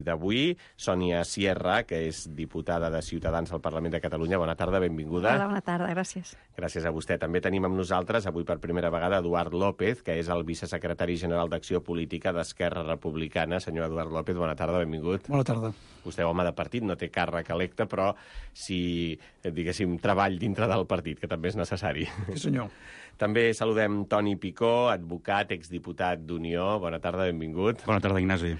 D'avui, Sònia Sierra, que és diputada de Ciutadans al Parlament de Catalunya. Bona tarda, benvinguda. Hola, bona tarda, gràcies. Gràcies a vostè. També tenim amb nosaltres, avui per primera vegada, Eduard López, que és el vicesecretari general d'Acció Política d'Esquerra Republicana. Senyor Eduard López, bona tarda, benvingut. Bona tarda. Vostè, home de partit, no té càrrec electe, però sí, diguéssim, treball dintre del partit, que també és necessari. Sí, senyor. També saludem Toni Picó, advocat, exdiputat d'Unió. Bona tarda, benvingut. Bona tarda, Ignasi.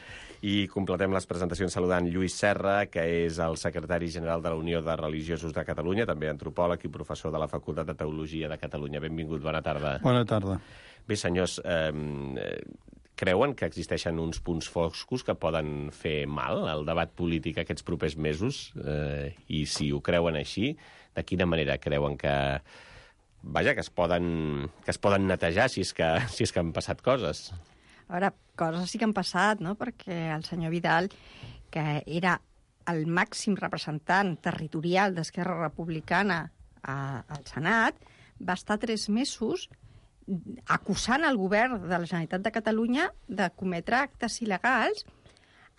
I completem les presentacions saludant Lluís Serra, que és el secretari general de la Unió de Religiosos de Catalunya, també antropòleg i professor de la Facultat de Teologia de Catalunya. Benvingut, bona tarda. Bona tarda. Bé, senyors, creuen que existeixen uns punts foscos que poden fer mal al debat polític aquests propers mesos? I si ho creuen així, de quina manera creuen que... Vaja, que es poden netejar si és que han passat coses? A veure, coses sí que han passat, no?, perquè el senyor Vidal, que era el màxim representant territorial d'Esquerra Republicana al Senat, va estar 3 mesos acusant el govern de la Generalitat de Catalunya de cometre actes il·legals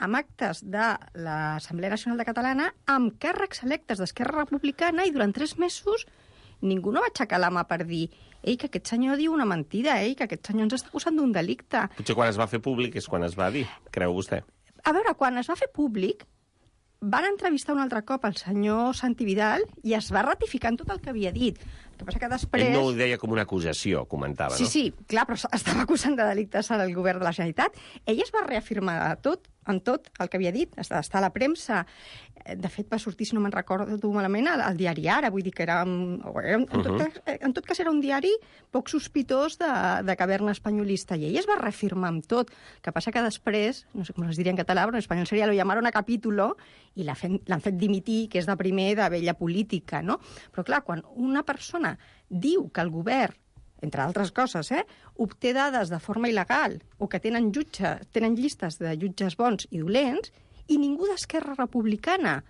amb actes de l'Assemblea Nacional de Catalana amb càrrecs electes d'Esquerra Republicana, i durant 3 mesos ningú no va aixecar la mà per dir que aquest senyor diu una mentida, que aquest senyor ens està acusant d'un delicte. Potser quan es va fer públic és quan es va dir, creu vostè? A veure, quan es va fer públic, van entrevistar un altre cop el senyor Santi Vidal i es va ratificar en tot el que havia dit. El que passa que després... Ell no ho deia com una acusació, comentava, no? Sí, clar, però estava acusant de delictes al govern de la Generalitat. Ell es va reafirmar en tot el que havia dit, està a la premsa. De fet, va sortir, si no me'n recordo malament, al diari Ara. Vull dir que era... En tot cas, era un diari poc sospitós de caverna espanyolista, i ell es va reafirmar amb tot. El que passa que després, no sé com es diria en català, però en espanyol seria lo llamaron a capítulo i l'han fet dimitir, que és de primer de vella política, no? Però clar, quan una persona diu que el govern, entre altres coses, obté dades de forma il·legal o que tenen llistes de jutges bons i dolents, i ningú d'Esquerra Republicana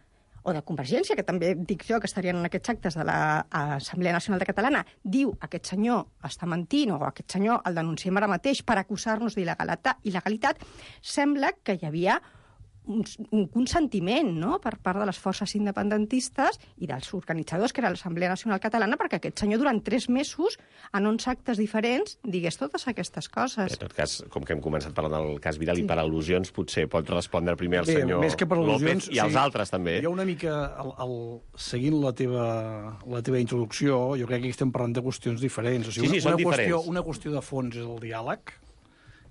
o de Convergència, que també dic jo que estarien en aquests actes de l'Assemblea Nacional de Catalana, diu aquest senyor està mentint o aquest senyor el denunciem ara mateix per acusar-nos d'il·legalitat, sembla que hi havia un consentiment, no?, per part de les forces independentistes i dels organitzadors, que era l'Assemblea Nacional Catalana, perquè aquest senyor durant 3 mesos, en 11 actes diferents, digués totes aquestes coses. En tot cas, com que hem començat parlant del cas Vidal, i per al·lusions potser pot respondre primer el senyor López i els altres també. Jo una mica, seguint la teva introducció, jo crec que aquí estem parlant de qüestions diferents. O sigui, són diferents. Una qüestió de fons és el diàleg,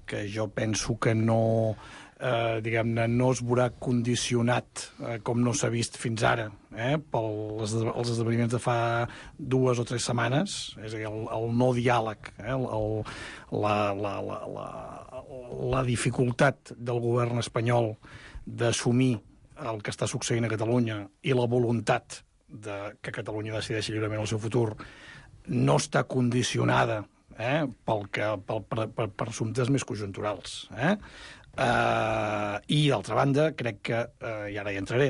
que jo penso que no... diguem-ne, no es veurà condicionat, com no s'ha vist fins ara, pels esdeveniments de fa 2 o 3 setmanes, és a dir, el no diàleg, la dificultat del govern espanyol d'assumir el que està succeint a Catalunya i la voluntat que Catalunya decideixi lliurement el seu futur no està condicionada per assumptes més conjunturals. I, d'altra banda, crec que, i ara hi entraré,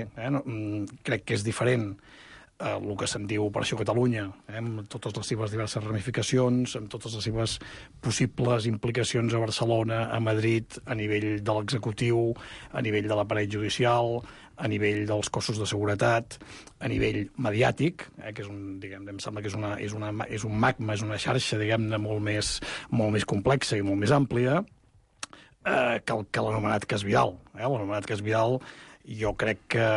crec que és diferent el que se'n diu Operació Catalunya, amb totes les seves diverses ramificacions, amb totes les seves possibles implicacions a Barcelona, a Madrid, a nivell de l'executiu, a nivell de l'aparell judicial, a nivell dels cossos de seguretat, a nivell mediàtic, que és em sembla que és un magma, és una xarxa, diguem-ne, molt més complexa i molt més àmplia, que l'anomenat cas Vidal. L'anomenat cas Vidal, jo crec que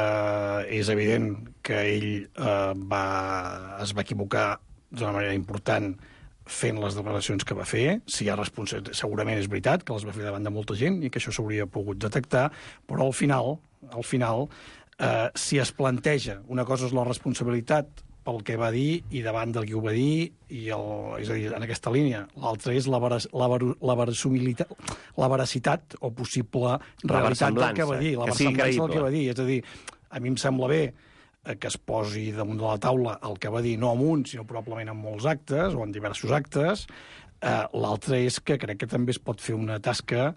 és evident que ell es va equivocar d'una manera important fent les declaracions que va fer. Si hi ha segurament és veritat que les va fer davant de molta gent i que això s'hauria pogut detectar, però al final, si es planteja, una cosa és la responsabilitat pel que va dir i davant del qui ho va dir, és a dir, en aquesta línia. L'altra és la veracitat o possible realitat del que va dir, la versemblança del que va dir. És a dir, a mi em sembla bé que es posi damunt de la taula el que va dir, no en un, sinó probablement en molts actes, o en diversos actes, L'altre és que crec que també es pot fer una tasca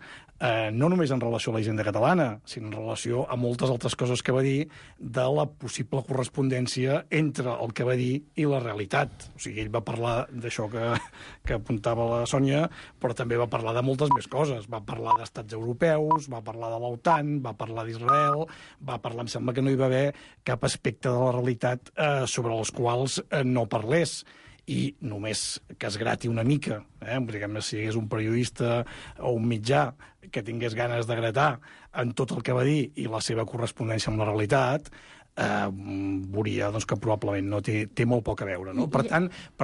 no només en relació a la hisenda catalana, sinó en relació a moltes altres coses que va dir de la possible correspondència entre el que va dir i la realitat. O sigui, ell va parlar d'això que apuntava la Sònia, però també va parlar de moltes més coses. Va parlar d'estats europeus, va parlar de l'OTAN, va parlar d'Israel, va parlar, em sembla que no hi va haver cap aspecte de la realitat sobre els quals no parlés. I només que es grati una mica, diguem-ne, si hi hagués un periodista o un mitjà que tingués ganes de gratar en tot el que va dir i la seva correspondència amb la realitat, veuria doncs, que probablement no té molt poc a veure. No? Per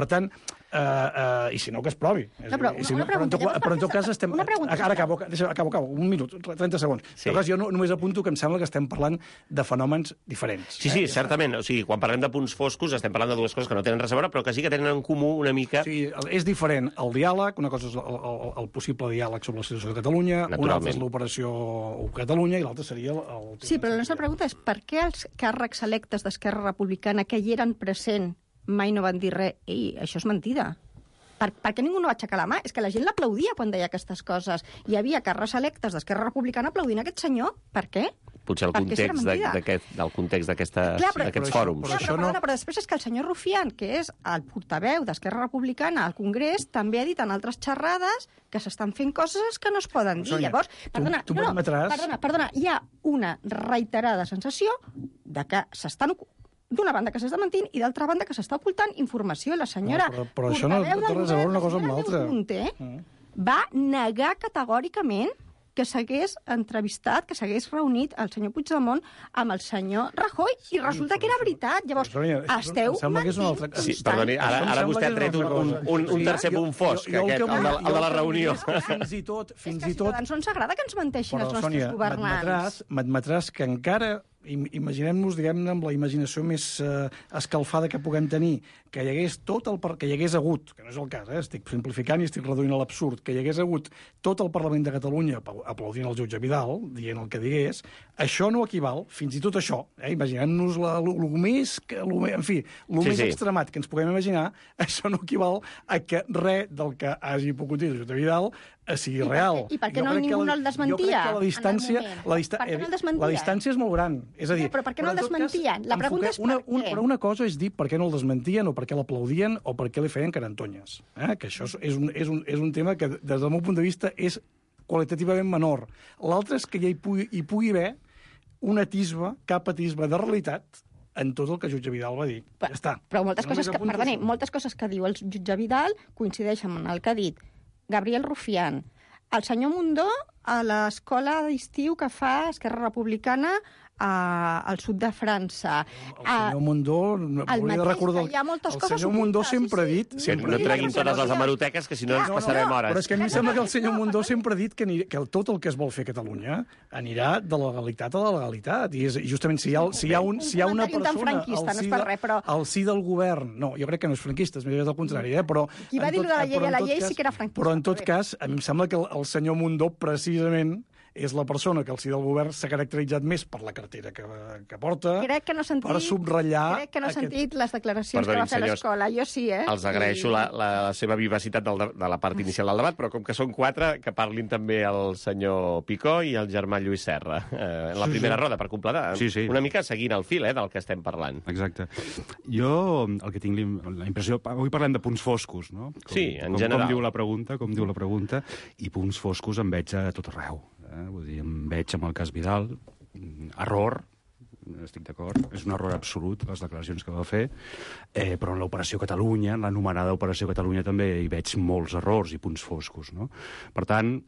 tant, i si no, que es provi. Però en tot cas estem... Ara acabo, un minut, 30 segons. Sí. En tot cas, jo només apunto que em sembla que estem parlant de fenòmens diferents. Sí, certament. O sigui, quan parlem de punts foscos estem parlant de dues coses que no tenen res a veure, però que sí que tenen en comú una mica... Sí, és diferent el diàleg, una cosa és el possible diàleg sobre la situació de Catalunya, una altra és l'operació Catalunya i l'altra seria el... Sí, però la nostra pregunta és per què els càrrecs electes d'Esquerra Republicana que hi eren present mai no van dir res? Ei, això és mentida. Per què ningú no va aixecar la mà? És que la gent l'aplaudia quan deia aquestes coses. Hi havia càrrecs electes d'Esquerra Republicana aplaudint aquest senyor. Per què? Potser el context d'aquests fòrums. Però després és que el senyor Rufián, que és el portaveu d'Esquerra Republicana al Congrés, també ha dit en altres xerrades que s'estan fent coses que no es poden dir. Llavors, perdona, hi ha una reiterada sensació de que s'estan... d'una banda que s'està mentint i d'altra banda que s'està ocultant informació. La senyora... Però això no té res a veure una cosa amb l'altra. Va negar categòricament que s'hagués entrevistat, que s'hagués reunit el senyor Puigdemont amb el senyor Rajoy, i resulta que era veritat. Llavors, esteu mentint. Sí, perdoni, ara vostè ha tret un tercer punt fosc, el de la reunió. Fins i tot... És que a Ciutadans no ens agrada que ens menteixin els nostres governants. M'admetràs que encara... Imaginem-nos, diguem-ne, amb la imaginació més escalfada que puguem tenir, que hi hagués que hi hagués hagut, que no és el cas, estic simplificant i estic reduint a l'absurd, que hi hagués hagut tot el Parlament de Catalunya aplaudint el jutge Vidal, dient el que digués, això no equival, fins i tot això, imaginem-nos el més extremat que ens puguem imaginar, això no equival a que res del que hagi pogut dir el jutge Vidal sigui real. I per què ningú no el desmentia? Jo crec que la distància és molt gran. És a dir, però per què no el desmentien? La pregunta és per què. Però una cosa és dir per què no el desmentien o per què l'aplaudien o per què li feien carantonyes. Que això és un tema que, des del meu punt de vista, és qualitativament menor. L'altre és que hi pugui haver un atisbe, cap atisbe de realitat en tot el que el jutge Vidal va dir. Ja està. Però moltes coses que diu el jutge Vidal coincideixen amb el que ha dit Gabriel Rufián. El senyor Mundó, a l'escola d'estiu que fa Esquerra Republicana al sud de França. El senyor Mundó... Hi ha moltes coses... El senyor Mundó sempre ha dit... No treguin totes les hemeroteques, que si no ens passarem hores. Però és que a mi em sembla que el senyor Mundó sempre ha dit que tot el que es vol fer a Catalunya anirà de la legalitat a la legalitat. I justament si hi ha una persona al si del govern... No, jo crec que no és franquista, és més del contrari, però... Qui va dir de la llei a la llei sí que era franquista. Però en tot cas, a mi em sembla que el senyor Mundó precisament és la persona que al si del govern s'ha caracteritzat més per la cartera que porta, per subratllar... Crec que no he sentit les declaracions que va fer a l'escola. Jo sí, Els agraeixo la seva vivacitat de la part inicial del debat, però com que són 4, que parlin també el senyor Picó i el germà Lluís Serra. En la primera roda, per completar. Una mica seguint el fil del que estem parlant. Exacte. Jo el que tinc la impressió... Avui parlem de punts foscos, no? Sí, en general. Com diu la pregunta, i punts foscos en veig a tot arreu. Vull dir, em veig amb el cas Vidal, error, estic d'acord, és un error absolut les declaracions que va fer, però en l'Operació Catalunya, en l'anomenada Operació Catalunya també hi veig molts errors i punts foscos, no? Per tant,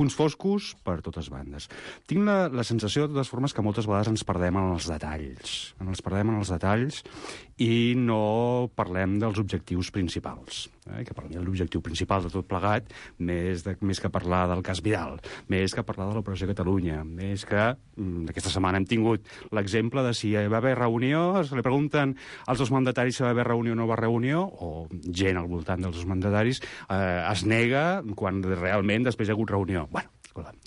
punts foscos per totes bandes. Tinc la sensació, de totes formes, que moltes vegades ens perdem en els detalls, i no parlem dels objectius principals. Que per mi l'objectiu principal de tot plegat, més que parlar del cas Vidal, més que parlar de l'Operació Catalunya, més que aquesta setmana hem tingut l'exemple de si hi va haver reunió, li pregunten als dos mandataris si va haver reunió o no va reunió, o gent al voltant dels dos mandataris es nega quan realment després hi ha hagut reunió. Bueno,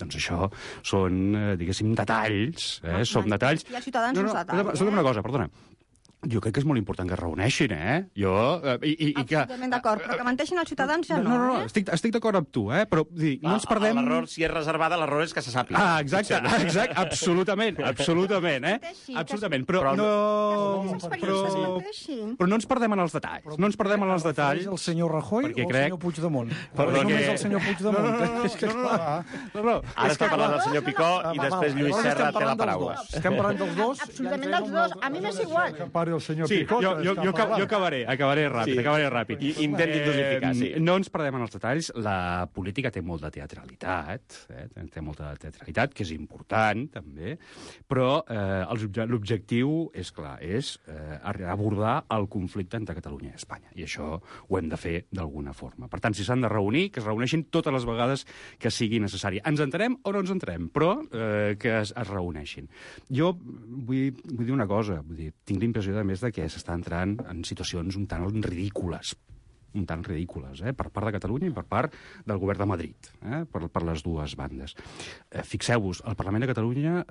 doncs això són, diguéssim, detalls. Són detalls. I els ciutadans uns detalls. Escolta'm una cosa, perdona. Jo crec que és molt important que es reuneixin, Jo... Absolutament d'acord, però que menteixin els ciutadans ja no. No, estic d'acord amb tu, però no ens perdem... L'error, si és reservada, l'error és que se sàpiga. Exacte, absolutament, absolutament. Però no ens perdem en els detalls. No ens perdem en els detalls. El senyor Rajoy o el senyor Puigdemont? Només el senyor Puigdemont. Ara està parlant el senyor Picó i després Lluís Serra té la paraula. Estem parlant dels dos? Absolutament dels dos. A mi m'és igual. El senyor sí, Picó, jo acabaré ràpid. Intentin dosificar, sí. No ens perdem en els detalls. La política té molt de teatralitat, que és important, també, però l'objectiu és clar, és abordar el conflicte entre Catalunya i Espanya, i això ho hem de fer d'alguna forma. Per tant, si s'han de reunir, que es reuneixin totes les vegades que sigui necessari. Ens entenem o no ens entenem, però que es reuneixin. Jo vull dir una cosa, tinc l'impressió a més de que s'està entrant en situacions un tant ridícules, per part de Catalunya i per part del govern de Madrid, per les dues bandes. Fixeu-vos, el Parlament de Catalunya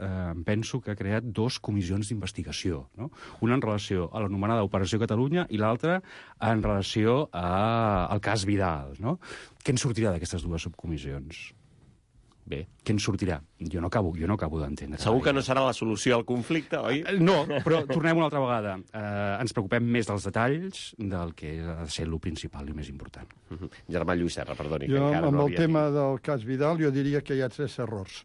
penso que ha creat 2 comissions d'investigació, no? Una en relació a l'anomenada Operació Catalunya i l'altra en relació al cas Vidal, no? Què en sortirà d'aquestes 2 subcomissions? Bé. Què en sortirà? Jo no acabo d'entendre. Segur que no serà la solució al conflicte, oi? No, però tornem una altra vegada. Ens preocupem més dels detalls del que ha de ser el principal i més important. Germà Lluís Serra, perdoni. Jo, amb el tema del cas Vidal, jo diria que hi ha 3 errors.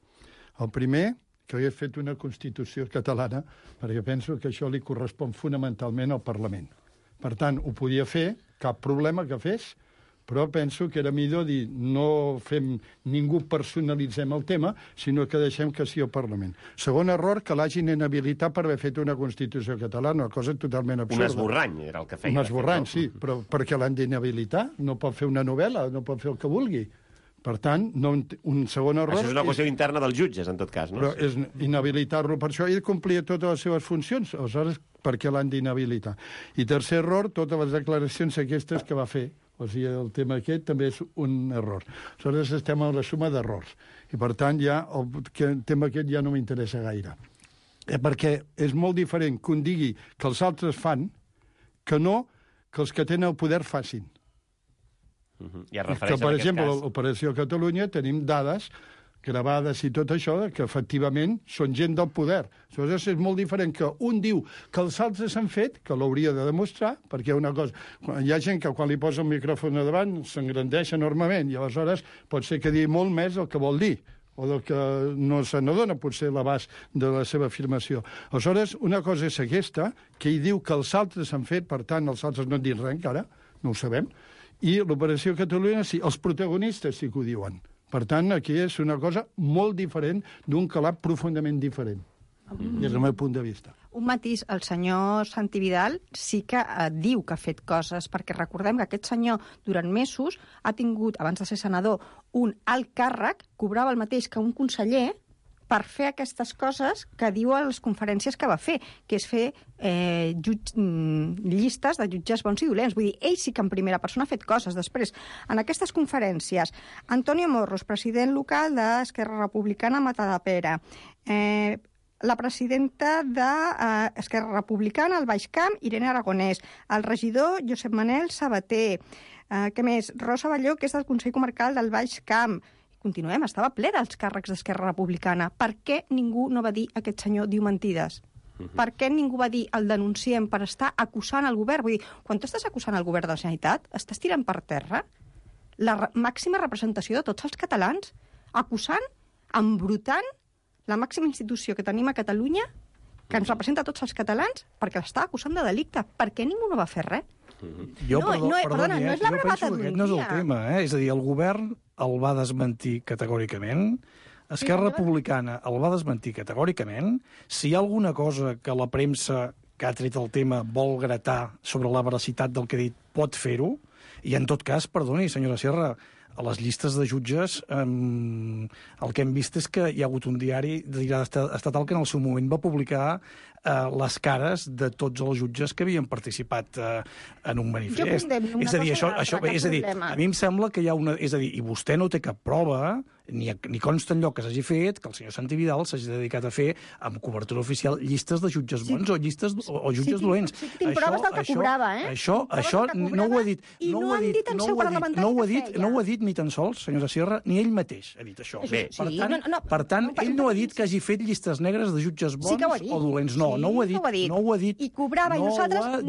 El primer, que hagués fet una Constitució catalana, perquè penso que això li correspon fonamentalment al Parlament. Per tant, ho podia fer, cap problema que fes, però penso que era millor dir no fem, ningú personalitzem el tema, sinó que deixem que sigui el Parlament. Segon error, que l'hagin inhabilitat per haver fet una Constitució catalana, una cosa totalment absurda. Un esborrany era el que feia. Un esborrany, sí, però perquè l'han d'inhabilitar, no pot fer una novel·la, no pot fer el que vulgui. Per tant, un segon error... Això és una qüestió interna dels jutges, en tot cas, no? Però és inhabilitar-lo per això. Ell complia totes les seves funcions, aleshores, per què l'han d'inhabilitar? I tercer error, totes les declaracions aquestes que va fer. O sigui, el tema aquest també és un error. Aleshores, estem a la suma d'errors. I, per tant, ja el tema aquest ja no m'interessa gaire. Perquè és molt diferent que un digui que els altres fan que no que els que tenen el poder facin. I es refereix que, per exemple, a l'Operació Catalunya tenim dades gravades i tot això, que efectivament són gent del poder. Aleshores és molt diferent que un diu que els altres han fet, que l'hauria de demostrar, perquè una cosa... Hi ha gent que quan li posa el micròfon a davant s'engrandeix enormement i aleshores pot ser que digui molt més el que vol dir o del que no se n'adona potser l'abast de la seva afirmació. Aleshores, una cosa és aquesta, que ell diu que els altres han fet, per tant, els altres no han dit res encara, no ho sabem, i l'Operació Catalunya, sí, els protagonistes sí que ho diuen. Per tant, aquí és una cosa molt diferent, d'un calat profundament diferent, des del meu punt de vista. Un matís, el senyor Santi Vidal sí que diu que ha fet coses, perquè recordem que aquest senyor durant mesos ha tingut, abans de ser senador, un alt càrrec, cobrava el mateix que un conseller, per fer aquestes coses que diu a les conferències que va fer, que és fer llistes de jutges bons i dolents. Vull dir, ell sí que en primera persona ha fet coses. Després, en aquestes conferències, Antonio Morros, president local d'Esquerra Republicana a Matadepera, la presidenta d'Esquerra Republicana al Baix Camp, Irene Aragonès, el regidor Josep Manel Sabater, què més? Rosa Balló, que és del Consell Comarcal del Baix Camp. Continuem, estava ple dels càrrecs d'Esquerra Republicana. Per què ningú no va dir aquest senyor diu mentides? Per què ningú va dir el denunciem per estar acusant el govern? Vull dir, quan tu estàs acusant el govern de la Generalitat, estàs tirant per terra la màxima representació de tots els catalans, acusant, embrutant la màxima institució que tenim a Catalunya, que ens representa a tots els catalans, perquè l'està acusant de delicte. Per què ningú no va fer res? Perdona, no és la bravata d'un dia. Aquest no és el tema, És a dir, el govern el va desmentir categòricament, Esquerra Republicana el va desmentir categòricament. Si hi ha alguna cosa que la premsa que ha tret el tema vol gratar sobre la veracitat del que ha dit, pot fer-ho, i en tot cas, perdoni, senyora Sierra, a les llistes de jutges el que hem vist és que hi ha hagut un diari estatal que en el seu moment va publicar les cares de tots els jutges que havien participat en un manifest. És a dir, a mi em sembla que hi ha una... És a dir, i vostè no té cap prova, ni consta enlloc que s'hagi fet que el senyor Santi Vidal s'hagi dedicat a fer amb cobertura oficial llistes de jutges bons o jutges dolents. Sí, tinc proves del que cobrava, Això no ho ha dit. I no han dit en seu parlamentari que feia. No ho ha dit ni tan sols, senyora Sierra, ni ell mateix ha dit això. Bé, per tant, ell no ha dit que hagi fet llistes negres de jutges bons o dolents. No ho ha dit. I cobrava, i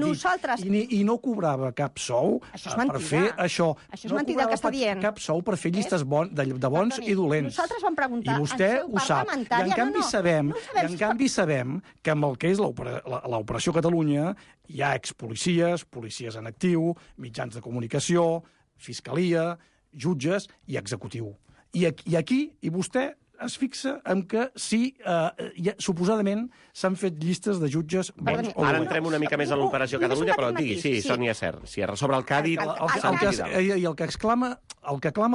nosaltres... I no cobrava cap sou per fer això. Això és mentida el que està dient. Cap sou per fer llistes de bons i dolents. Nosaltres vam preguntar i vostè ho sap. I en canvi sabem que amb el que és l'Operació Catalunya hi ha expolicies, policies en actiu, mitjans de comunicació, fiscalia, jutges i executiu. I vostè es fixa en que sí, suposadament s'han fet llistes de jutges bons o dolents. Ara entrem una mica més a l'Operació Catalunya, però digui, sí, Sònia Sierra, sobre el que ha dit Santi Vidal. I el que clama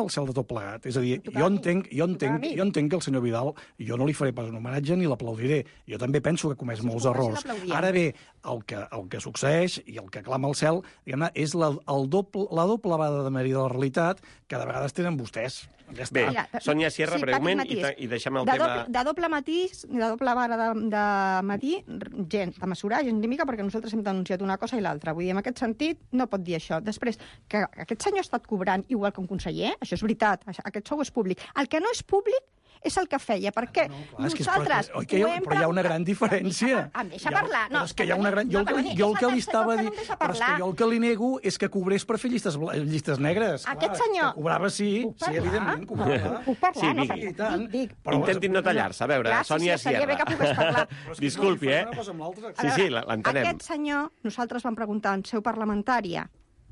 el cel de tot plegat. És a dir, jo entenc que el senyor Vidal, jo no li faré pas un homenatge ni l'aplaudiré. Jo també penso que ha comès molts errors. Ara bé, el que succeeix i el que clama el cel, diguem-ne, és la doble vara de medir de la realitat que de vegades tenen vostès. Bé, Sònia Sierra, breument, i deixem el tema... De doble matís, de doble vara de medir, gens de mesurar, gens de mica, perquè nosaltres hem denunciat una cosa i l'altra. Vull dir, en aquest sentit, no pot dir això. Després, que aquest senyor ha estat cobrant igual que un conseller, això és veritat, aquest sou és públic. El que no és públic és el que feia, perquè nosaltres ho hem preguntat... Però hi ha una gran diferència. Em deixa parlar. Però és que hi ha una gran... Jo el que li estava dient... Però és que jo el que li nego és que cobrés per fer llistes negres. Aquest senyor... Que cobrava, sí, evidentment, cobrava. Puc parlar? Sí, tant. Intentin no tallar-se. A veure, Sònia Sierra. Seria bé que pogués parlar. Disculpi, Sí, l'entenem. Aquest senyor, nosaltres vam preguntar en seu parlamentària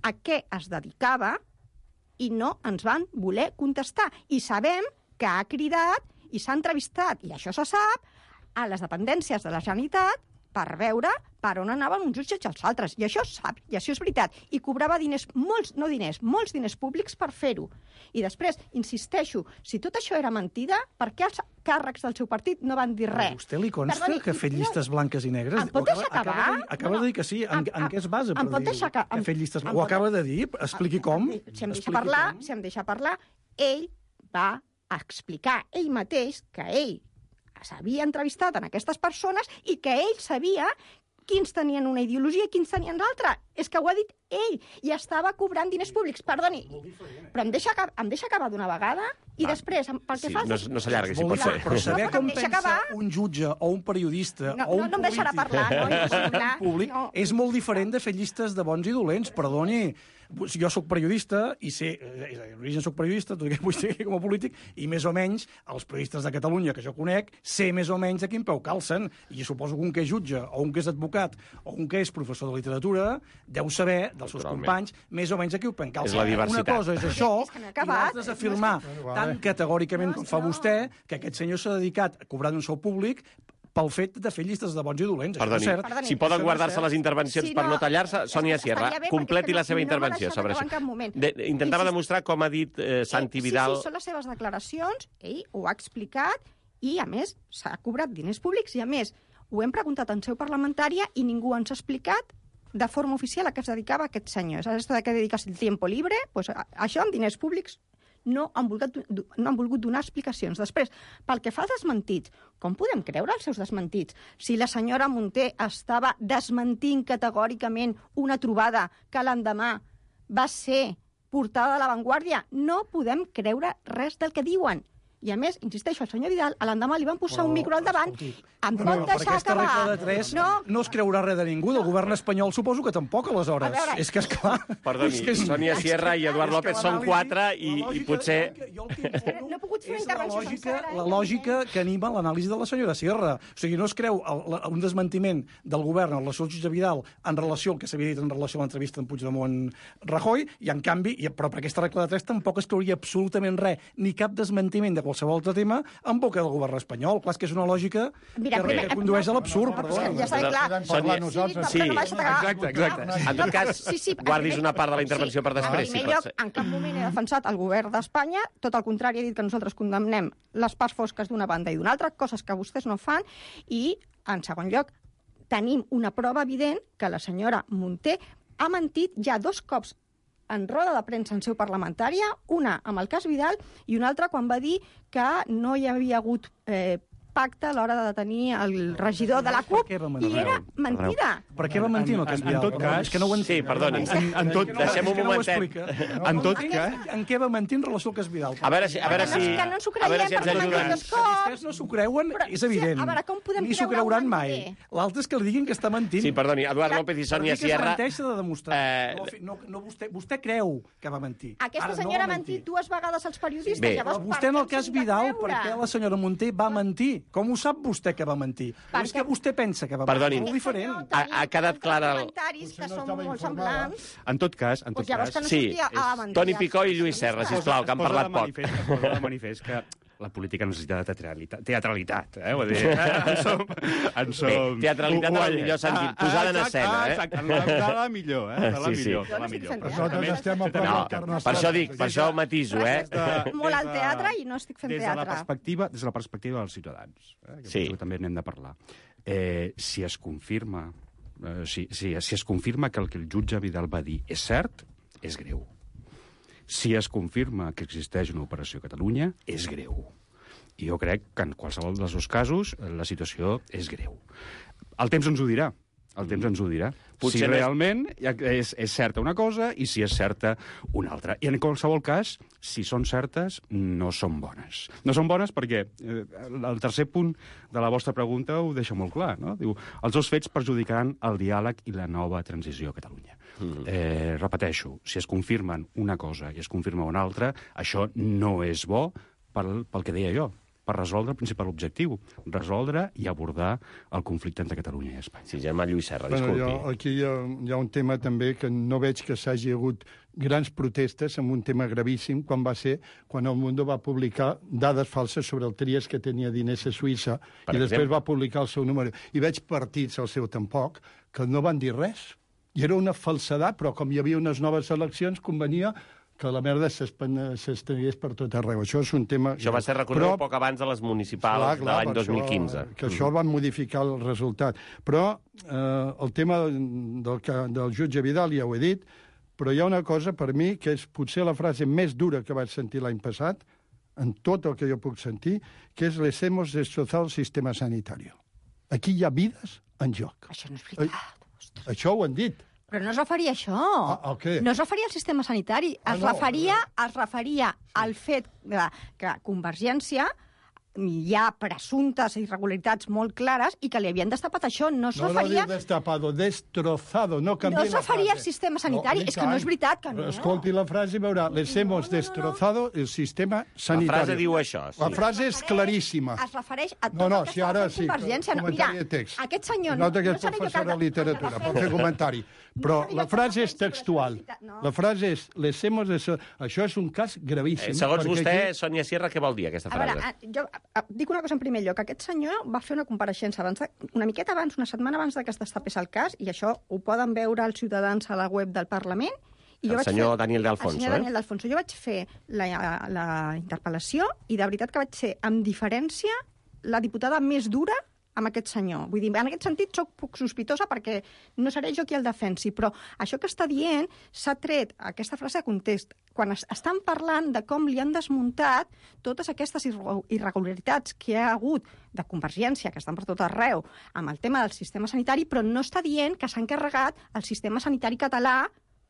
a què es dedicava i no ens van voler contestar. I sabem que ha cridat i s'ha entrevistat, i això se sap, a les dependències de la Generalitat per veure per on anaven uns jutges i els altres. I això es sap, i això és veritat. I cobrava diners, molts diners públics per fer-ho. I després, insisteixo, si tot això era mentida, per què els càrrecs del seu partit no van dir res? A vostè li consta que ha fet llistes blanques i negres? Em pot deixar acabar? Acaba de dir que sí. En què es basa per dir que ha fet llistes blanques? Ho acaba de dir? Expliqui com. Si em deixa parlar, ell va explicar ell mateix que ell s'havia entrevistat en aquestes persones i que ell sabia quins tenien una ideologia i quins tenien l'altra. És que ho ha dit ell, i estava cobrant diners públics. Perdoni, però em deixa acabar d'una vegada i després, pel que fa... No s'allargui, si pot ser. Però saber com pensa un jutge o un periodista o un polític públic és molt diferent de fer llistes de bons i dolents. Perdoni, jo sóc periodista i sé, d'origen sóc periodista, tot i que vull ser com a polític, i més o menys els periodistes de Catalunya que jo conec sé més o menys a quin peu calcen, i suposo que un que és jutge o un que és advocat o un que és professor de literatura deu saber dels seus companys més o menys a qui ho calcen. És la diversitat. Una cosa és això, i l'altra és afirmar tan categòricament com fa vostè que aquest senyor s'ha dedicat a cobrar un sou públic pel fet de fer llistes de bons i dolents. Perdoni, si poden guardar-se les intervencions per no tallar-se, Sònia Sierra, completi la seva intervenció sobre això. Intentava demostrar com ha dit Santi Vidal... Sí, són les seves declaracions, ell ho ha explicat, i a més s'ha cobrat diners públics, i a més ho hem preguntat en seu parlamentària i ningú ens ha explicat de forma oficial a què es dedicava aquest senyor. És a dir, que dediques el tiempo libre, pues, això amb diners públics no han volgut donar explicacions. Després, pel que fa als desmentits, com podem creure els seus desmentits? Si la senyora Munté estava desmentint categòricament una trobada que l'endemà va ser portada a l'avantguàrdia, no podem creure res del que diuen. I a més, insisteixo, al senyor Vidal, a l'endemà li van posar un micro al davant. Em pot deixar acabar? Per aquesta regla de 3 no es creurà res de ningú. Del govern espanyol suposo que tampoc, aleshores. És que, esclar... Perdoni, Sònia Sierra i Eduard López són 4 i potser... No he pogut fer una intervenció sencera. La lògica que anima l'anàlisi de la senyora Sierra. O sigui, no es creu un desmentiment del govern en relació al jutge Vidal en relació al que s'havia dit en relació a l'entrevista amb Puigdemont-Rajoy, i en canvi, però per aquesta regla de 3 tampoc es creuria absolutament res, ni cap desmentiment de qualsevol altre tema en boca del govern espanyol. Clar, és que és una lògica que condueix a l'absurd, perdó. Ja està clar. Sí, exacte. En tot cas, guardis una part de la intervenció per després. En primer lloc, en cap moment he defensat el govern d'Espanya, tot el contrari, he dit que nosaltres condemnem les parts fosques d'una banda i d'una altra, coses que vostès no fan, i, en segon lloc, tenim una prova evident que la senyora Munté ha mentit ja 2 cops en roda de premsa en seu parlamentària, una amb el cas Vidal i una altra quan va dir que no hi havia hagut pacte a l'hora de detenir el regidor de la CUP, i era mentida. Per què va mentir en el cas Vidal? En tot cas... És que no ho entenc. Sí, perdoni. Deixem un momentet. En tot cas... En què va mentir en relació al cas Vidal? A veure si ens ho creiem, ens ajuden. Vostès no s'ho creuen, és evident. A veure, com podem ni s'ho creure creuran un mai. mentider? L'altre és que li diguin que està mentint. Sí, perdoni, Eduard López i Sònia Sierra... Per dir que es menteix s'ha de demostrar. Vostè creu que va mentir. Aquesta senyora ha mentit 2 vegades als periodistes. Bé, llavors, Vostè en el cas Vidal, per què la senyora Munté va mentir? Com ho sap vostè que va mentir? O és que vostè pensa que va mentir? Perdonin. Molt diferent. Ha quedat clara... comentaris que són molt semblants. En tot cas... Doncs llavors que no Sí, sortia a mentir. Toni Picó i Lluís Serra, sisplau, que han parlat poc. Es posa de manifest que la política necessita de teatralitat. Vull dir, en som... Bé, teatralitat en el millor sentit, posada en escena. Exacte, de la millor. Sí. De la millor. Nosaltres estem a prop No, del carnestol. per això dic, per això matiso, Molt al teatre i no estic fent Des de la teatre. perspectiva dels ciutadans, que Sí. també n'hem de parlar. Si es confirma si es confirma que el jutge Vidal va dir és cert, és greu. Si es confirma que existeix una operació a Catalunya, és greu. I jo crec que en qualsevol dels dos casos la situació és greu. El temps ens ho dirà. El temps ens ho dirà. Potser si no és- realment és certa una cosa i si és certa una altra. I en qualsevol cas, si són certes, no són bones. No són bones perquè el tercer punt de la vostra pregunta ho deixa molt clar. No? Diu, els dos fets perjudicaran el diàleg i la nova transició a Catalunya. Repeteixo, si es confirmen una cosa i es confirma una altra, això no és bo pel que deia jo, per resoldre el principal objectiu, resoldre i abordar el conflicte entre Catalunya i Espanya. Sí, Germà Lluís Serra, Bueno, disculpi. aquí hi ha un tema també que no veig que s'hagi hagut grans protestes amb un tema gravíssim, quan el Mundo va publicar dades falses sobre el Trias que tenia diners a Suïssa Per i després exemple? va publicar el seu número. I veig partits al seu tampoc que no van dir res. I era una falsedat, però com hi havia unes noves eleccions, convenia que la merda s'estregués per tot arreu. Això és un tema... Això va ser reconegut poc abans de les municipals de l'any 2015. Que això van modificar el resultat. Però el tema del jutge Vidal ja ho he dit, però hi ha una cosa per mi que és potser la frase més dura que vaig sentir l'any passat, en tot el que jo puc sentir, que és les hemos destrozado el sistema sanitario. Aquí hi ha vides en joc. Això no és veritat. Ostres. Això ho han dit. Però no es referia a això. A què? No es referia al sistema sanitari. Es referia al fet que Convergència hi ha presumptes irregularitats molt clares i que li havien destapat això. No es No referia... diu destapado, destrozado, no canvia No es referia al sistema sanitari, és que no és veritat que no. Escolti la frase i veurà, les hemos destrozado el sistema sanitari. La frase diu això, sí. La frase és claríssima. Es refereix a tot No, el que si estava ara fent sí, Convergència. comentari de text. Aquest senyor... Nota que és seré jo professora de literatura, pot fer comentari. Però seré jo la que frase és defensi la textual. solidaritat, no. La frase és, les hemos destrozado... Això és un cas gravíssim. Segons perquè vostè, aquí- Sònia Sierra, què vol dir aquesta A veure, frase? jo dic una cosa en primer lloc. Aquest senyor va fer una compareixença una miqueta abans, una setmana abans que es destapés el cas, i això ho poden veure els ciutadans a la web del Parlament. I El senyor Daniel de Alfonso, El senyor Daniel de Alfonso. Jo vaig fer la interpel·lació i de veritat que vaig ser, amb diferència, la diputada més dura amb aquest senyor. Vull dir, en aquest sentit soc poc sospitosa perquè no seré jo qui el defensi, però això que està dient s'ha tret aquesta frase de context. Quan estan parlant de com li han desmuntat totes aquestes irregularitats que hi ha hagut de Convergència, que estan per tot arreu, amb el tema del sistema sanitari, però no està dient que s'han carregat el sistema sanitari català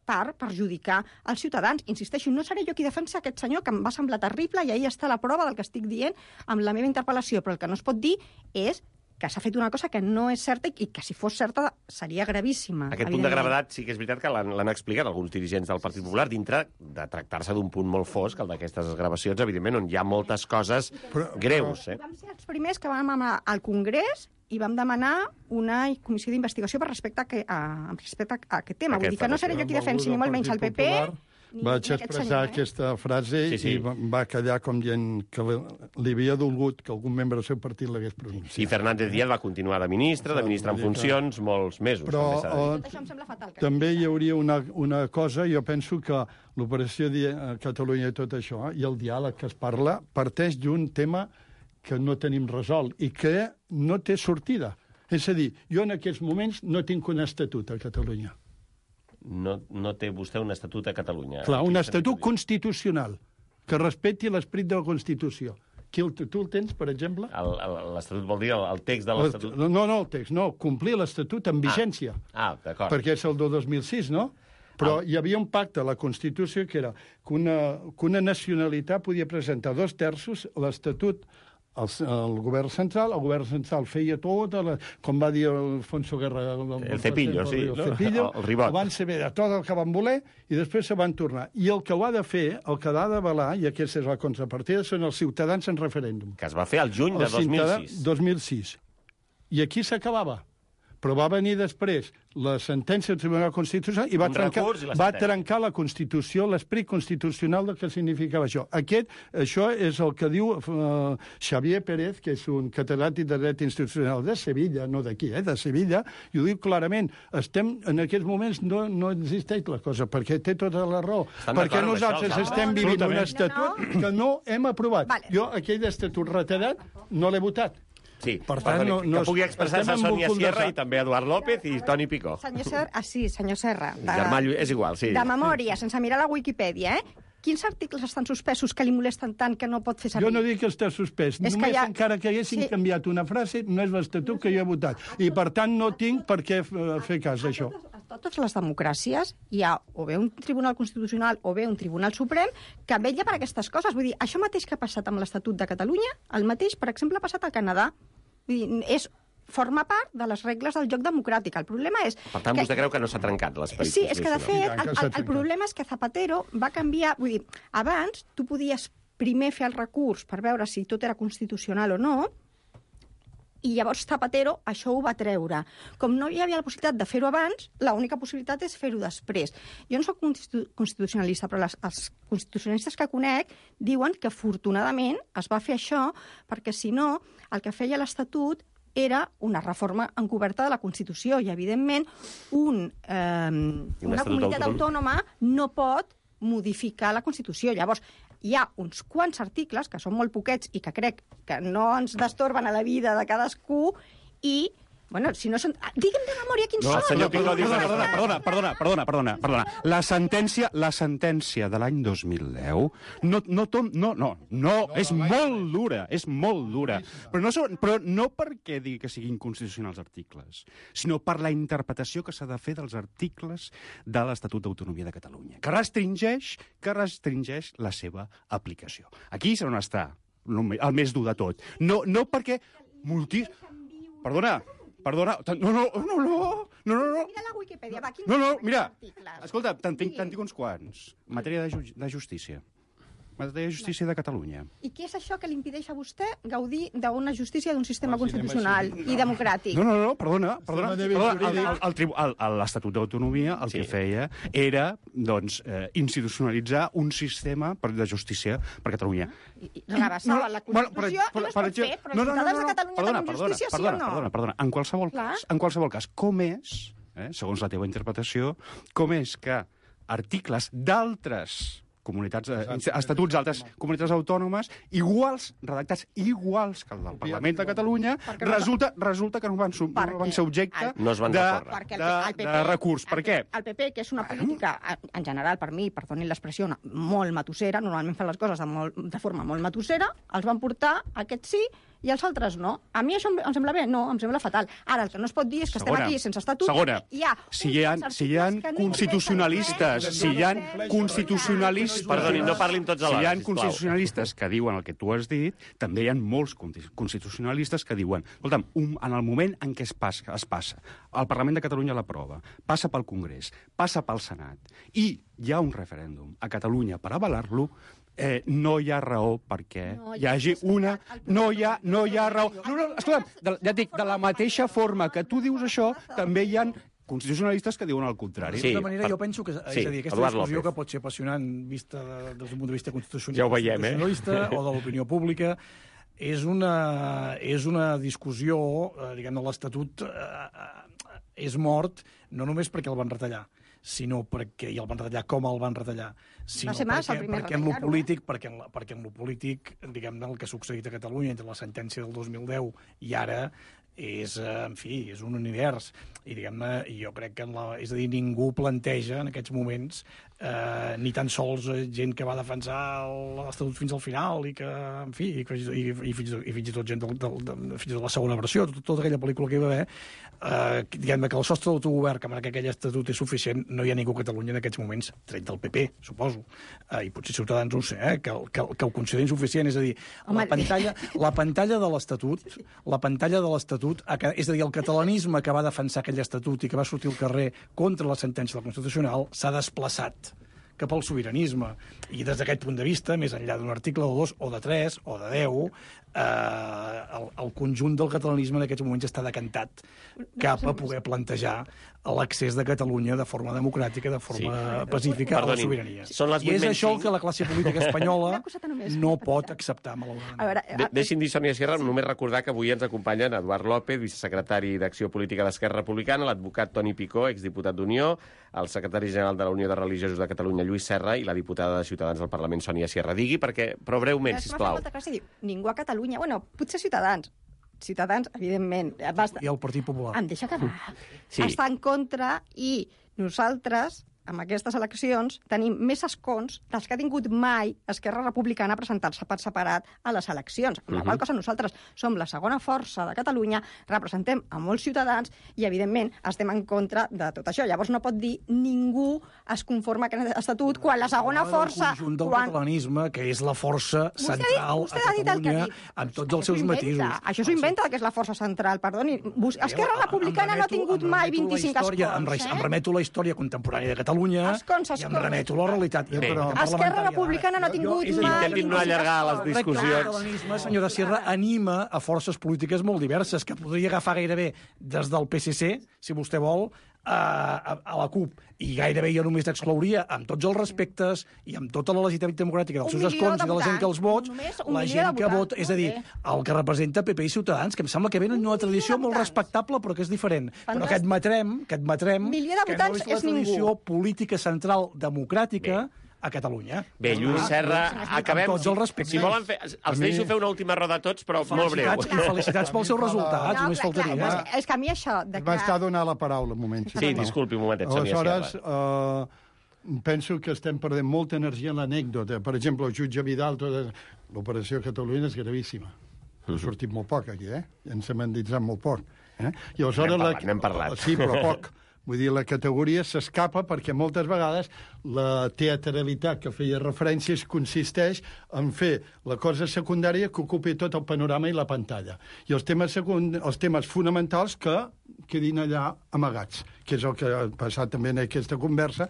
per perjudicar els ciutadans. Insisteixo, no seré jo qui defensa aquest senyor, que em va semblar terrible, i ahí està la prova del que estic dient amb la meva interpel·lació, però el que no es pot dir és que s'ha fet una cosa que no és certa i que si fos certa seria gravíssima. Aquest punt de gravetat sí que és veritat que l'han explicat alguns dirigents del Partit Popular dintre de tractar-se d'un punt molt fosc, el d'aquestes gravacions, evidentment, on hi ha moltes coses greus. Vam ser els primers que vam anar al Congrés i vam demanar una comissió d'investigació respecte a aquest tema. Vull dir que no seré jo qui defensi ni molt menys el PP... Vaig expressar aquesta frase i va quedar com dient que li havia dolgut que algun membre del seu partit l'hagués pronunciat. I Fernández Díaz va continuar de ministre en funcions, molts mesos. Però Tot això em sembla fatal. també hi hauria una cosa, jo penso que l'operació Catalunya i tot això, i el diàleg que es parla, parteix d'un tema que no tenim resolt i que no té sortida. És a dir, jo en aquests moments no tinc un estatut a Catalunya. no té vostè un estatut a Catalunya. Clar, un estatut constitucional que respecti l'esperit de la Constitució. Tu el tens, per exemple? L'estatut vol dir el text de l'estatut? No, el text, no. Complir l'estatut en vigència. D'acord. Perquè és el de 2006, no? Però hi havia un pacte a la Constitució que era que una nacionalitat podia presentar 2/3 l'estatut al govern central. El govern central feia tot, com va dir Alfonso Guerra... El cepillo, sí. El cepillo. El ribot. Van saber de tot el que van voler i després se van tornar. I el que ho ha de fer, el que l'ha d'avalar, i aquesta és la contrapartida, són els ciutadans en referèndum. Que es va fer al juny de 2006. 2006. I aquí s'acabava. Però va venir després la sentència del Tribunal Constitucional i va trencar la Constitució, l'esperit constitucional del que significava això. Això és el que diu Xavier Pérez, que és un catedràtic de dret institucional de Sevilla, no d'aquí, de Sevilla, i ho diu clarament. En aquests moments no existeix la cosa, perquè té tota la raó. Perquè nosaltres estem vivint un estatut que no hem aprovat. Jo aquell estatut retallat no l'he votat. Sí, per tant, que pugui expressar-se Sònia Sierra i també Eduard López i Toni Picó. Senyor Serra. Germà Lluís, és igual, sí. De memòria, sense mirar la Wikipedia, Quins articles estan suspesos que li molesten tant que no pot fer servir? Jo no dic que està suspès. Només encara que haguessin canviat una frase, no és l'estatut que jo he votat. I, per tant, no tinc per què fer cas d'això. A totes les democràcies hi ha o bé un Tribunal Constitucional o bé un Tribunal Suprem que vetlla per aquestes coses. Vull dir, això mateix que ha passat amb l'Estatut de Catalunya, el mateix, per exemple, ha passat al Canadà. Vull dir, forma part de les regles del joc democràtic. El problema és... Per tant, vostè creu que no s'ha trencat l'esperit? Sí, és que, de fet, el problema és que Zapatero va canviar... Vull dir, abans tu podies primer fer el recurs per veure si tot era constitucional o no, i llavors Zapatero això ho va treure. Com no hi havia la possibilitat de fer-ho abans, l'única possibilitat és fer-ho després. Jo no soc constitucionalista, però els constitucionalistes que conec diuen que, afortunadament, es va fer això perquè, si no, el que feia l'Estatut era una reforma encoberta de la Constitució i, evidentment, una comunitat autònoma no pot modificar la Constitució. Llavors, hi ha uns quants articles, que són molt poquets i que crec que no ens destorben a la vida de cadascú, i, bueno, si no són... Digue'm de memòria quins són. Senyor Picó, perdona. La sentència de l'any 2010 no, és molt dura. Però no perquè digui que siguin inconstitucionals els articles, sinó per la interpretació que s'ha de fer dels articles de l'Estatut d'Autonomia de Catalunya, que restringeix la seva aplicació. Aquí és on està el més dur de tot. No perquè... Perdona, no. Mira la Wikipedia, va, quins mira, articles? escolta, te'n tinc uns quants. Matèria de justícia. Matèria de justícia de Catalunya. I què és això que li impedeix a vostè gaudir d'una justícia d'un sistema constitucional i democràtic? No, perdona. L'Estatut d'Autonomia el que feia era, doncs, institucionalitzar un sistema de justícia per Catalunya. Rebassava la Constitució i no es pot fer, però els ciutadans de Catalunya tenen justícia, sí o no? Perdona. En qualsevol cas, com és, segons la teva interpretació, com és que articles d'altres estatuts d'altres comunitats autònomes, redactats iguals que el del Parlament de Catalunya, resulta que no van ser objecte de recurs. Per què? El PP, que és una política, en general, per mi, perdonin l'expressió, molt matossera, normalment fan les coses de forma molt matossera, els van portar, aquests sí, i els altres no. A mi això em sembla bé? No, em sembla fatal. Ara, el que no es pot dir és que estem aquí sense estatut. Segona, si hi ha constitucionalistes, Perdoni, no parlin tots alhora, si hi ha constitucionalistes que diuen el que tu has dit, també hi ha molts constitucionalistes que diuen, escolta'm, en el moment en què es passa, el Parlament de Catalunya l'aprova, passa pel Congrés, passa pel Senat, i hi ha un referèndum a Catalunya per avalar-lo, no hi ha raó perquè hi hagi una... No hi ha raó. No, escolta'm, ja et dic, de la mateixa forma que tu dius això, també hi ha constitucionalistes que diuen el contrari. De tota manera, jo penso que aquesta discussió que pot ser apassionant vista des d'un punt de vista constitucionalista, ja ho veiem, o de l'opinió pública, és una discussió, diguem-ne, l'Estatut és mort, no només perquè el van retallar, sinó perquè el van retallar com el van retallar, sinó perquè en lo polític, diguem-ne, el que ha succeït a Catalunya entre la sentència del 2010 i ara és, en fi, és un univers. I, diguem-ne, jo crec que, és a dir, ningú planteja en aquests moments ni tan sols gent que va defensar l'Estatut fins al final i que, en fi, i fins i tot gent fins a la segona versió, tota aquella pel·lícula que hi va haver, diguem-ne que el sostre d'autogovern que marca aquell Estatut és suficient, no hi ha ningú a Catalunya en aquests moments, tret del PP, suposo, i potser Ciutadans no ho sé, que ho considerin suficient, és a dir, la pantalla de l'Estatut, és a dir, el catalanisme que va defensar aquell Estatut i que va sortir al carrer contra la sentència del Constitucional s'ha desplaçat cap al sobiranisme. I des d'aquest punt de vista, més enllà d'un article o dos, o de 3, o de 10, el conjunt del catalanisme en aquests moments està decantat cap a poder plantejar l'accés de Catalunya de forma democràtica, de forma pacífica, a la sobirania. I és això el que la classe política espanyola no pot acceptar, malauradament. Deixi'm dir, Sònia Sierra, només recordar que avui ens acompanyen Eduard López, vicesecretari d'Acció Política d'Esquerra Republicana, l'advocat Toni Picó, exdiputat d'Unió, el secretari general de la Unió de Religiosos de Catalunya, Lluís Serra, i la diputada de Ciutadans del Parlament, Sònia Sierra. Digui, però breument, sisplau. Ningú a Catalunya, bueno, potser Ciutadans, evidentment. I el Partit Popular. Em deixa acabar. Sí. Està en contra i nosaltres, amb aquestes eleccions, tenim més escons dels que ha tingut mai Esquerra Republicana presentar-se per separat a les eleccions. Amb la qual cosa nosaltres som la segona força de Catalunya, representem a molts ciutadans i, evidentment, estem en contra de tot això. Llavors no pot dir ningú es conforma a aquest estatut quan la segona força... El conjunt del catalanisme, que és la força central a Catalunya, amb tots els seus matisos. Això s'ho inventa, que és la força central, perdoni. Esquerra Republicana no ha tingut mai 25 escons. Em remeto a la història contemporània de Catalunya i em remeto a la realitat. Esquerra Republicana no ha tingut mai... Intentin no allargar les discussions. El catalanisme, senyora Sierra, anima a forces polítiques molt diverses, que podria agafar gairebé des del PSC, si vostè vol, a la CUP, i gairebé jo només exclouria, amb tots els respectes i amb tota la legitimitat democràtica dels seus escons i de la gent que els vots, la gent que vota, és a dir, el que representa PP i Ciutadans, que em sembla que venen d'una tradició molt respectable, però que és diferent. Però que admetrem que no és la tradició política central democràtica a Catalunya. Bé, Lluís Serra, acabem. Amb tots els respectes. Si volen fer... Els deixo fer una última roda a tots, però molt breu. I felicitats pels seus resultats, només faltaria. És que a mi això... M'està donant la paraula, un moment. Sí, disculpi un momentet, Sònia Sierra. Aleshores, penso que estem perdent molta energia en l'anècdota. Per exemple, el jutge Vidal, l'operació Catalunya és gravíssima. Ha sortit molt poc aquí, ens hem endinsat molt poc. I aleshores n'hem parlat. Sí, però poc. Vull dir, la categoria s'escapa perquè moltes vegades la teatralitat que feia referències consisteix en fer la cosa secundària que ocupi tot el panorama i la pantalla. I els temes fonamentals que quedin allà amagats, que és el que ha passat també en aquesta conversa,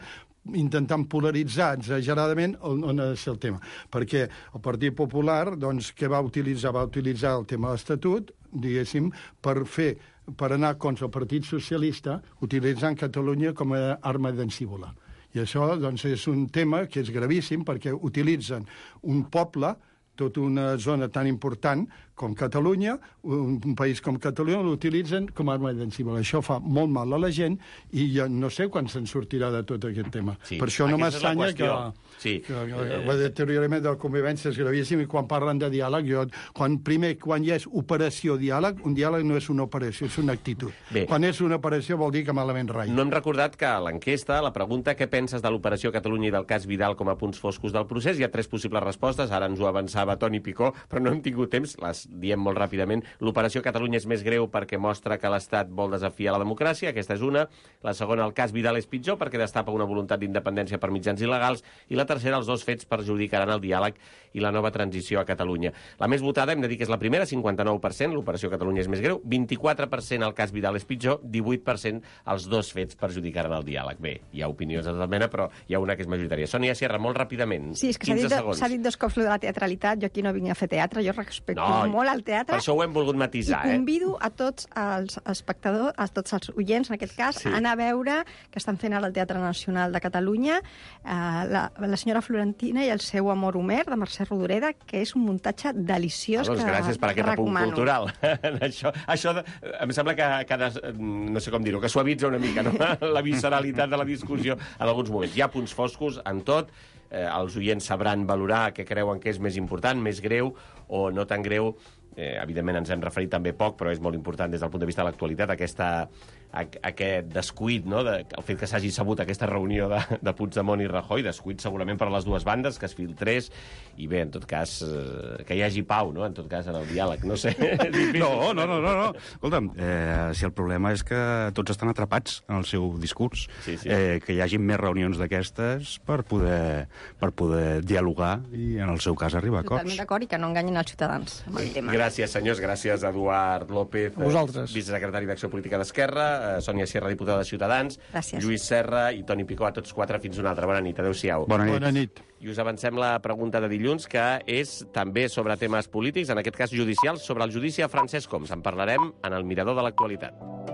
intentant polaritzar exageradament on ha de ser el tema. Perquè el Partit Popular, doncs, què va utilitzar? Va utilitzar el tema de l'Estatut, diguéssim, per anar contra el Partit Socialista, utilitzant Catalunya com a arma llancívola. I això, doncs, és un tema que és gravíssim perquè utilitzen un poble, tota una zona tan important com Catalunya, un país com Catalunya, l'utilitzen com a arma llancívola. Això fa molt mal a la gent i jo no sé quan se'n sortirà de tot aquest tema. Sí, per això no m'estranya que el deteriorament de la convivència és gravíssim i quan parlen de diàleg, quan hi és operació diàleg, un diàleg no és una operació, és una actitud. Bé. Quan és una operació vol dir que malament rai. No hem recordat que a l'enquesta, la pregunta què penses de l'operació Catalunya i del cas Vidal com a punts foscos del procés, hi ha 3 possibles respostes, ara ens ho avançava Toni Picó, però no hem tingut temps, les diem molt ràpidament. L'operació Catalunya és més greu perquè mostra que l'Estat vol desafiar la democràcia, aquesta és una. La segona, el cas Vidal és pitjor perquè destapa una voluntat d'independència per mitjans il·legals. I la tercera, els 2 fets perjudicaran el diàleg i la nova transició a Catalunya. La més votada, hem de dir que és la primera, 59%, l'operació Catalunya és més greu, 24% el cas Vidal és pitjor, 18% els 2 fets perjudicaran el diàleg. Bé, hi ha opinions de tota mena, però hi ha una que és majoritària. Sònia Sierra, molt ràpidament, sí, és que 15 segons. S'ha dit 2 cops de la teatralitat, jo aquí no vinc a fer teatre, jo respecto molt el teatre. Per això ho hem volgut matisar, I convido a tots els espectadors, a tots els oients, en aquest cas, a anar a veure que estan fent ara al Teatre Nacional de Catalunya la senyora Florentina i el seu amor Homer, de Mercè Rodoreda, que és un muntatge deliciós doncs que gràcies per aquest apunt cultural. Això em sembla que no sé com dir-ho, que suavitza una mica, no? La visceralitat de la discussió en alguns moments. Hi ha punts foscos en tot, els oients sabran valorar què creuen que és més important, més greu o no tan greu. evidentment ens hem referit també poc, però és molt important des del punt de vista de l'actualitat, aquest descuit, no? El fet que s'hagi sabut aquesta reunió de Puigdemont i Rajoy, descuit segurament per a les dues bandes, que es filtrés, i bé, en tot cas, que hi hagi pau, no? En tot cas, en el diàleg, no sé. No. Escolta'm, si el problema és que tots estan atrapats en el seu discurs, que hi hagi més reunions d'aquestes per poder dialogar i, en el seu cas, arribar a acords. Totalment d'acord, i que no enganyin els ciutadans amb el tema. Gràcies, senyors. Gràcies, Eduard López, vicesecretari d'Acció Política d'Esquerra, Sònia Sierra, diputada de Ciutadans, Gràcies. Lluís Serra i Toni Picó, a tots quatre. Fins una altra. Bona nit. Adéu-siau. Bona nit. I us avancem la pregunta de dilluns, que és també sobre temes polítics, en aquest cas judicials, sobre el judici a Francesc Homs. En parlarem en el Mirador de l'Actualitat.